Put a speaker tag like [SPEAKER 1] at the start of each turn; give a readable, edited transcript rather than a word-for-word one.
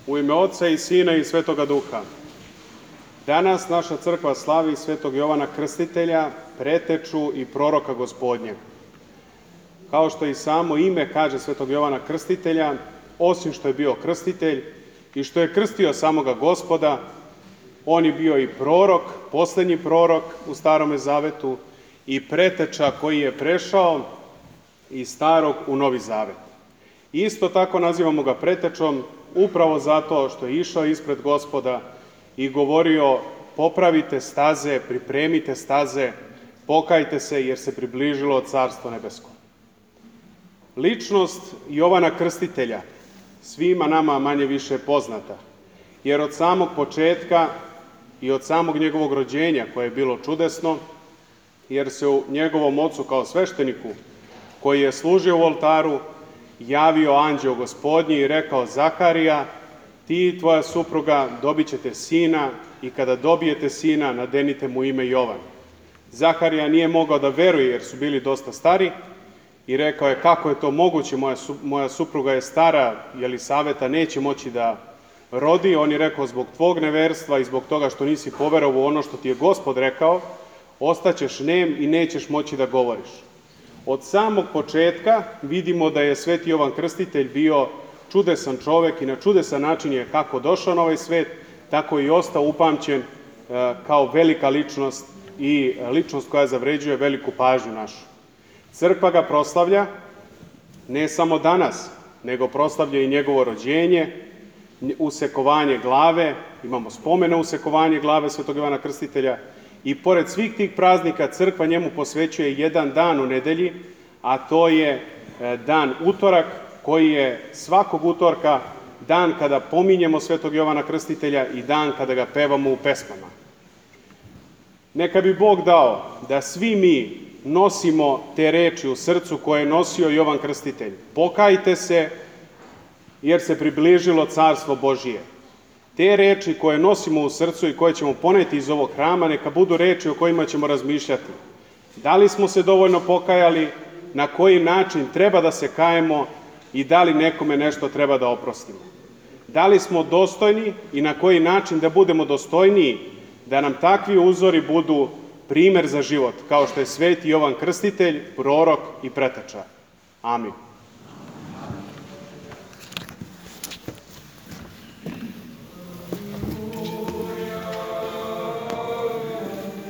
[SPEAKER 1] U ime Oca i Sina i Svetoga Duha. Danas naša crkva slavi Svetog Jovana Krstitelja, preteču i proroka Gospodnjeg. Kao što i samo ime kaže Svetog Jovana Krstitelja, osim što je bio krstitelj i što je krstio samoga Gospoda, on je bio i prorok, poslednji prorok u Starome Zavetu i preteča koji je prešao iz Starog u Novi Zavet. Isto tako nazivamo ga pretečom upravo zato što je išao ispred Gospoda i govorio: popravite staze, pripremite staze, pokajte se jer se približilo Carstvo nebesko. Ličnost Jovana Krstitelja svima nama manje više poznata, jer od samog početka i od samog njegovog rođenja, koje je bilo čudesno, jer se u njegovom ocu kao svešteniku, koji je služio u oltaru, javio anđeo Gospodnji i rekao: Zaharija, ti i tvoja supruga dobit ćete sina i kada dobijete sina, nadenite mu ime Jovan. Zaharija nije mogao da veruje jer su bili dosta stari i rekao je: kako je to moguće, moja supruga je stara, Jelisaveta neće moći da rodi. On je rekao: zbog tvog neverstva i zbog toga što nisi poverovao u ono što ti je Gospod rekao, ostaćeš nem i nećeš moći da govoriš. Od samog početka vidimo da je Sveti Jovan Krstitelj bio čudesan čovek i na čudesan način je kako došao na ovaj svet, tako i ostao upamćen kao velika ličnost i ličnost koja zavređuje veliku pažnju našu. Crkva ga proslavlja ne samo danas, nego proslavlja i njegovo rođenje, usekovanje glave, imamo spomene usekovanje glave Svetog Jovana Krstitelja, i pored svih tih praznika crkva njemu posvećuje jedan dan u nedelji, a to je dan utorak, koji je svakog utorka dan kada pominjemo Svetog Jovana Krstitelja i dan kada ga pevamo u pesmama. Neka bi Bog dao da svi mi nosimo te reči u srcu koje je nosio Jovan Krstitelj. Pokajte se jer se približilo Carstvo Božije. Te reči koje nosimo u srcu i koje ćemo poneti iz ovog hrama, neka budu reči o kojima ćemo razmišljati. Da li smo se dovoljno pokajali, na koji način treba da se kajemo i da li nekome nešto treba da oprostimo. Da li smo dostojni i na koji način da budemo dostojniji, da nam takvi uzori budu primer za život, kao što je Sveti Jovan Krstitelj, prorok i preteča. Amin.